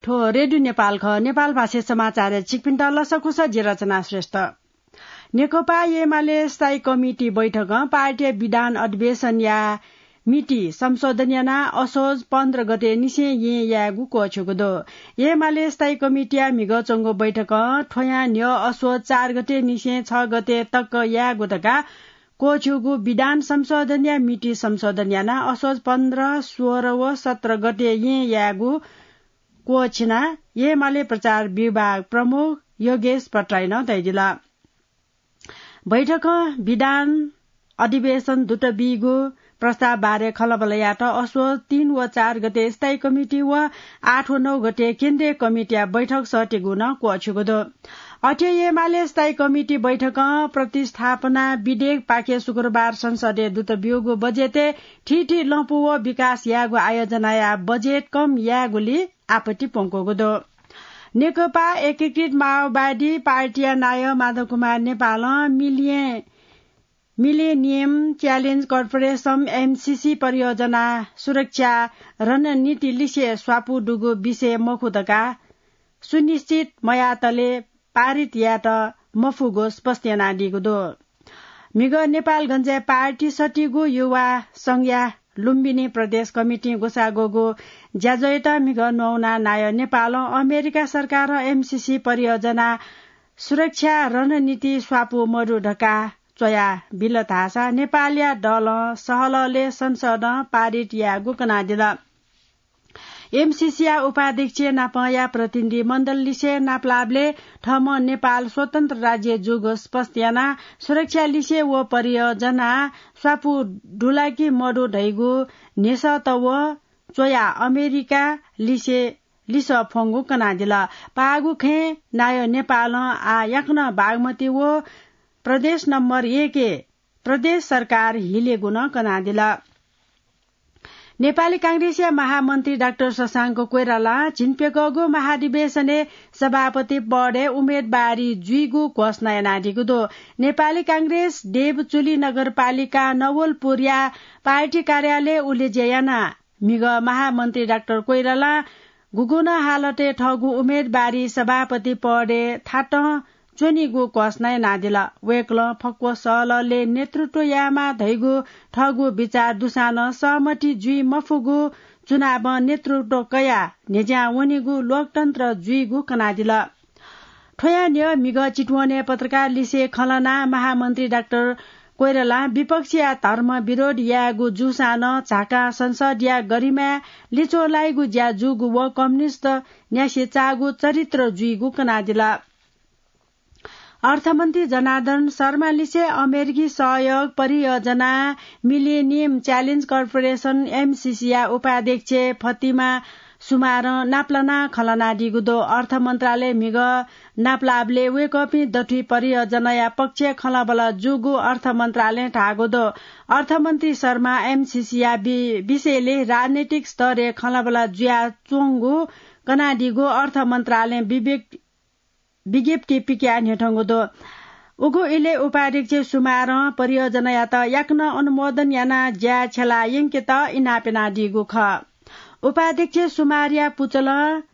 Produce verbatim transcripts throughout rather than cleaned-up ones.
हो, रेडियो नेपाल खः। नेपाल भाषा समाचार छिकपिन्त लसकुस, जि रचना श्रेष्ठ। नेकपा एमाले स्थायी कमिटी बैठकं पार्टीया विधान अधिवेशनया मिति संशोधन यानाः असोज पन्ध्र गते निसें येँ यायेगु क्वःछ्यूगु दु। एमाले स्थायी कमिटीया म्हिगः च्वंगु बैठकं थ्वयां न्ह्यः असोज चार गते निसें छ गते तक यायेगु धकाः क्वःछ्यूगु विधान संशोधनया मिति संशोधन यानाः असोज पन्ध्र, सोह्र व सत्र गते येँ यायेगु क्वःछिनाः एमाले प्रचार विभाग प्रमुख योगेश भट्टराईं धयादिल। बैठकं विधान अधिवेशन दुत बीगु प्रस्ताव बारे खँल्हाबल्हा यायेत असोज तीन व चार गते स्थायी कमिटी व आठ व नौ गते केन्द्रीय कमिटीया बैठक सःतेगु नं क्वःछ्यूगु दु। अथे एमाले स्थायी कमिटी बैठकं प्रतिस्थापना विधेयकपाखे शुक्रबार संसदय् दुत ब्यूगु बजेटय् थीथी लँपु व विकास यायेगु आयोजनाया बजेट कम यायेगुली आपत्ति प्वंकूगु दु। नेकपा एकीकृत माओवादी पार्टीया नायः माधव कुमार नेपालं million millennium challenge corporation, MCC, परियोजना सुरक्षा रणनीति लिसे स्वापू दुगु विषय मखु धकाः सुनिश्चित मयातले पारित यायेत मफुगु स्पष्ट यानादीगु दु। म्हिगः नेपालगञ्जय् पार्टी सत्तीगु युवा संघया लुम्बिनी प्रदेश कमिटीं ग्वसाः ग्वःगु ज्याझ्वःयात म्हिगः न्ववानाः नायः नेपालं अमेरिका सरकारं एमसीसी परियोजना सुरक्षा रणनीति स्वापू मदु धकाः च्वया बिल धाःसा नेपालया दलं सहलहलय् संसदं पारित यायेगु कनादिल। एमसीसीया उपाध्यक्ष नापंया प्रतिनिधि मण्डल लिसे नापलाःबलय् थःम्हं नेपाल स्वतन्त्र राज्य जूगु स्पष्ट यानाः सुरक्षा लिसे व परियोजना स्वापू दु ला कि मदु धइगु न्ह्यसःत व च्वयाः अमेरिका लिसे लिसः फ्वंगु कनादिल। पाःगु खँय् नायः नेपालं आः याकनं बागमती व प्रदेश नम्बर एकय् प्रदेश सरकार हिलेगु नं कनादिल। नेपाली कांग्रेसया महामन्त्री डाक्टर शशांक कोइरालां झिंप्यकःगु महाधिवेशनय् सभापति पदय् उम्मेदवारी जुइगु घोषणा यानादीगु दु। नेपाली कांग्रेस देवचुली नगरपालिका नवलपुरया पार्टी कार्यालयय् उलेज्या यानाः म्हिगः महामन्त्री डाक्टर कोइरालां गुगुं नं हालतय् थःगु उम्मेदवारी सभापति पदय् थातं च्वनीगु घोषणा यानादिल। वय्कलं फक्व सहलहलय् नेतृत्व यायेमाः धइगु थःगु बिचाः दुसां नं सहमति जुइ मफुगु चुनावं नेतृत्व कयाः न्ह्यज्यां वनीगु लोकतन्त्र जुइगु कनादिल। थ्वयां न्ह्यः म्हिगः चितवनय् पत्रकार लिसे खँ ल्हानाः महामन्त्री डाक्टर कोइरालां विपक्षया धर्म विरोध यायेगु जूसां नं झाकां संसदया गरिमाय् लिच्वः लाइगु ज्या जूगु व कम्युनिस्ट न्यासेचाःगु चरित्र जुइगु कनादिल। अर्थमन्त्री जनार्दन शर्मा लिसे अमेरिकी सहयोग परियोजना मिलेनियम च्यालेन्ज कर्पोरेसन, एमसीसीया उपाध्यक्ष फतिमा सुमारं नापलानाः खँ ल्हानादीगु दु। अर्थ मन्त्रालय म्हिगः नापलाःबलय् वय्कःपिं दथुइ परियोजनाया पक्षय् खँल्हाबल्हा जूगु अर्थ मन्त्रालयं धाःगु दु। अर्थमन्त्री शर्मा एमसीसीया वि-, विषयलय् राजनैतिक स्तरय् खँल्हाबल्हा जुयाच्वंगु कनादीगु अर्थ मन्त्रालयं विवेक विज्ञप्ति पिकयाः न्ह्यथंगु दु। उगु इलय् उपाध्यक्ष सुमारं परियोजनायात याकनं अनुमोदन यानाः ज्याय् छ्यला यंकेत इनाप यानादीगु खः। उपाध्यक्ष सुमारया पुचलं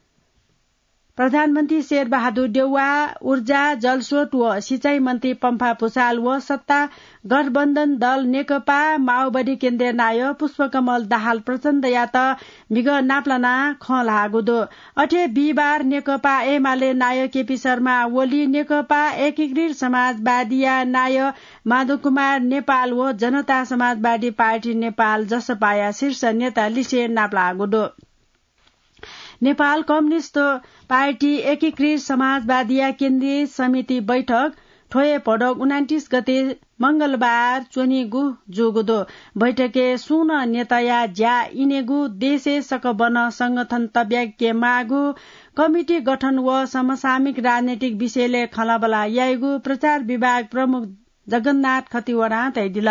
प्रधानमन्त्री शेरबहादुर देउवा, ऊर्जा, जलस्रोत व सिँचाइ मन्त्री पम्फा भुसाल व सत्ता गठबन्धन दल नेकपा माओवादी केन्द्रीय नायः पुष्पकमल दाहाल प्रचण्डयात म्हिगः नापलानाः खँ ल्हाःगु दु। अथे बिहिबार नेकपा एमाले नायः केपी शर्मा ओली, नेकपा एकीकृत समाजवादीया नायः माधव कुमार नेपाल व जनता समाजवादी पार्टी नेपाल जसपाया शीर्ष नेता लिसे नापलाःगु दु। नेपाल कम्युनिस्ट पार्टी एकीकृत समाजवादीया केन्द्रीय समिति बैठक थ्व हे भदौ उनान्तिस गते मंगलबार च्वनीगु जूगु दु। बैठकय् सुं नं नेताया ज्या इनेगु, देशय् सकबनं संगठन तब्याके माःगु, कमिटी गठन व समसामयिक राजनैतिक विषयलय् खँल्हाबल्हा याइगु प्रचार विभाग प्रमुख जगन्नाथ खतिवडां धयादिल।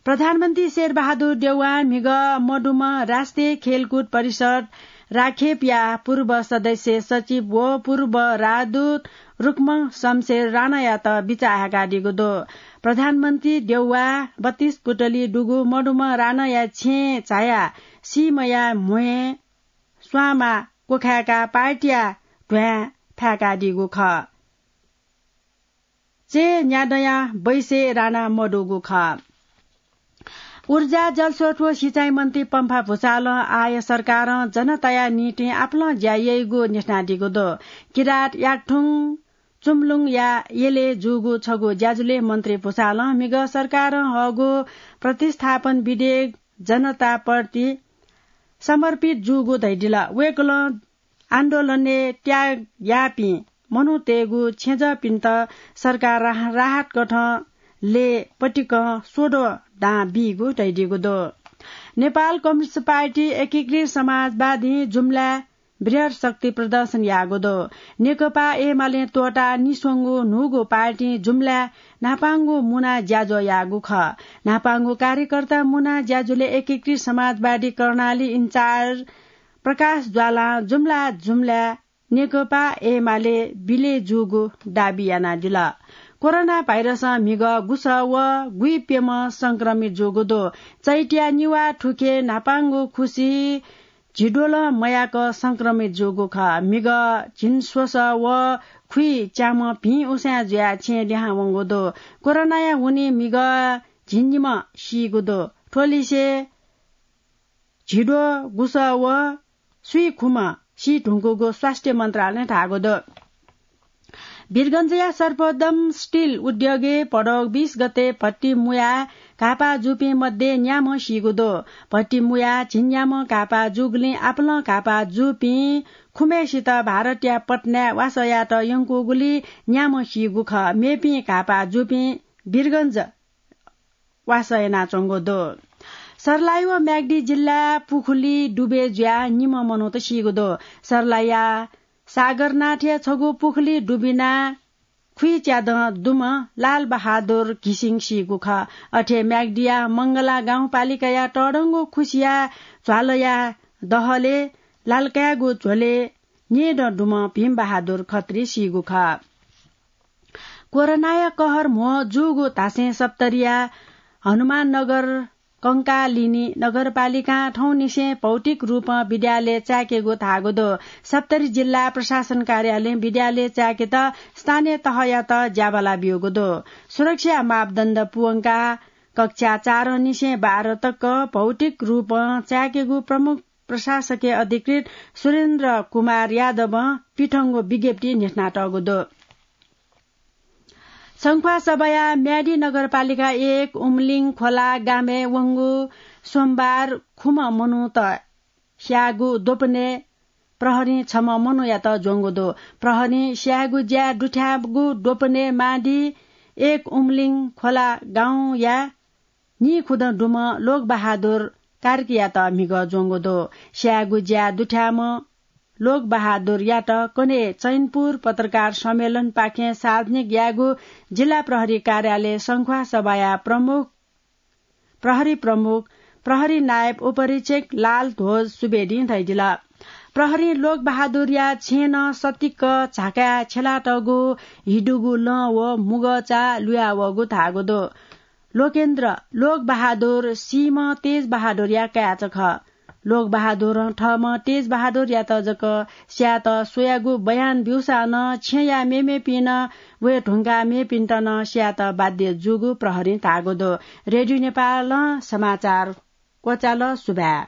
प्रधानमन्त्री शेरबहादुर देउवां म्हिगः मदुम्ह राष्ट्रिय खेलकुद परिषद राखेपया पूर्व सदस्य सचिव व पूर्व राजदूत रुक्म शमशेर राणायात बिचाः हाकादीगु दु। प्रधानमन्त्री देउवा बत्तीस पुतली दुगु मदुम्ह राणाया छेँय् झायाः सीम्हया म्ह्वय् स्वांमा क्वखाय्काः पार्टीया ध्वाँय् फाय्कादीगु खः। चय् न्यादँया बैसय् राना मदुगु खः। ऊर्जा, जलस्रोत व सिँचाइ मन्त्री पम्फा भुसालं आः सरकारं जनताया निंतिं आपालं ज्या याइगु न्ह्यथनादीगु दु। किरात, याकथुङ, चुम्लुङया यलय् जूगु छगू ज्याझ्वलय् मन्त्री भुसालं म्हिगः सरकारं हःगु प्रतिस्थापन विधेयक जनताप्रति समर्पित जूगु धयादिल। वय्कलं आन्दोलनय् त्याग याःपिं मनूतय्गु छेँजःपिन्त सरकार राह-, राहत कथं लय् पतिकं स्वद्वः दां बीगु धयादीगु दु। नेपाल कम्युनिस्ट पार्टी एकीकृत समाजवादीं जुम्लाय् बृहत् शक्ति प्रदर्शन याःगु दु। नेकपा एमालें त्वःताः निस्वंगु न्हूगु पार्टीं जुम्लाय् न्हापांगु मुना ज्याझ्वः याःगु खः। न्हापांगु कार्यकर्ता मुना ज्याझ्वलय् एकीकृत समाजवादी कर्णाली इन्चार्ज प्रकाश ज्वालां जुम्ला जुम्लाय् नेकपा एमाले विलय जूगु दाबी यानादिल। कोरोना भाइरसं म्हिगः गुसः व गुइप्यम्ह संक्रमित जूगु दु। चैत्या निवाः थुखे न्हापांगु खुसि झिद्वलं मयाक संक्रमित जूगु खः। म्हिगः झिंस्वसः व खुइच्याम्ह भिं उसाँय् जुयाः छेँय् लिहां वंगु दु। कोरोनाया हुनिं म्हिगः झिंनिम्ह सीगु दु। थ्व लिसे झिद्वः गुसः व स्वीखुम्ह सी धुंकूगु स्वास्थ्य मन्त्रालयं धाःगु दु। वीरगञ्जया सर्वोत्तम स्टिल उद्योगय् भदौ बीस गते भट्टी मुयाः घाःपाः जूपिं मध्ये न्याम्ह सीगु दु। भट्टी मुयाः झिंन्याम्ह घाःपाः जूगुलिं आपालं घाःपाः जूपिं खुम्हेसित भारतया पटनाय् वासः यायेत यंकूगुलिं न्याम्ह सीगु खः। मेपिं घाःपाः जूपिं वीरगञ्ज वासः यानाच्वंगु दु। सर्लाही व म्याग्दी जिल्लाय् पुखुली डुबे जुयाः निम्ह मनूत सीगु दु। सर्लाहीया सागरनाथय् छगू पुखुली डुबिनाः खुइच्यादँ दुम्ह लाल बहादुर घिसिङ सीगु खः। अथे म्याग्दीया मंगला गाउँपालिकाया तःधंगु खुसिया झ्वालया दहलय् लालकाय्गु झ्वलय् न्येदँ दुम्ह भीम बहादुर खत्री सीगु खः। कोरोनाया कहर म्हो जूगु धासें सप्तरीया हनुमाननगर कंकालिनी नगरपालिकां थौंनिसें भौतिक रूपं विद्यालय चाय्केगु धाःगु दु। सप्तरी जिल्ला प्रशासन कार्यालयं विद्यालय चाय्केत स्थानीय तहयात ज्याबाला ब्यूगु दु। सुरक्षा मापदण्ड पूवंकाः कक्षा चार निसें बाह्र तक भौतिक रूपं चाय्केगु प्रमुख प्रशासकीय अधिकृत सुरेन्द्र कुमार यादवं पिथंगु विज्ञप्ति न्ह्यथनातःगु दु। संख्वासभाया म्यादी नगरपालिका एक उमलिङ खोला गामय् वंगु सोमबार खुम्ह मनूत स्याःगु द्वपनय् प्रहरीं छम्ह मनूयात ज्वंगु दु। प्रहरीं स्यायेगु ज्याय् दुथ्याःगु द्वपनय् म्यादी एक उमलिङ खोला गाउँया नीखुदँ दुम्ह लोकबहादुर कार्कीयात म्हिगः ज्वंगु दु। स्यायेगु ज्याय् दुथ्याःम्ह लोकबहादुरयात कन्हय् चैनपुर पत्रकार सम्मेलनपाखें सार्वजनिक यायेगु जिल्ला प्रहरी कार्यालय संख्वासभाया प्रमुख, प्रहरी प्रमुख, प्रहरी नायब उपरीक्षक लाल ध्वज सुवेदीं धयादिल। प्रहरीं लोकबहादुरया छेँनं सतिक्क झाकाय् छ्यलातःगु हिदुगु लं व मुगःचा लुयावःगु धाःगु दु। लोकेन्द्र लोकबहादुर सीम्ह तेजबहादुरया काय्चा खः। लोकबहादुरं थःम्ह तेजबहादुरयात जक स्यायेत स्वयागु बयान ब्यूसां नं छेँया मेमेपिं नं वये धुंकाः मेपिन्त नं स्यायेत बाध्य जूगु प्रहरीं धाःगु दु। रेडियो नेपालं समाचार क्वचाल। सुभाय्।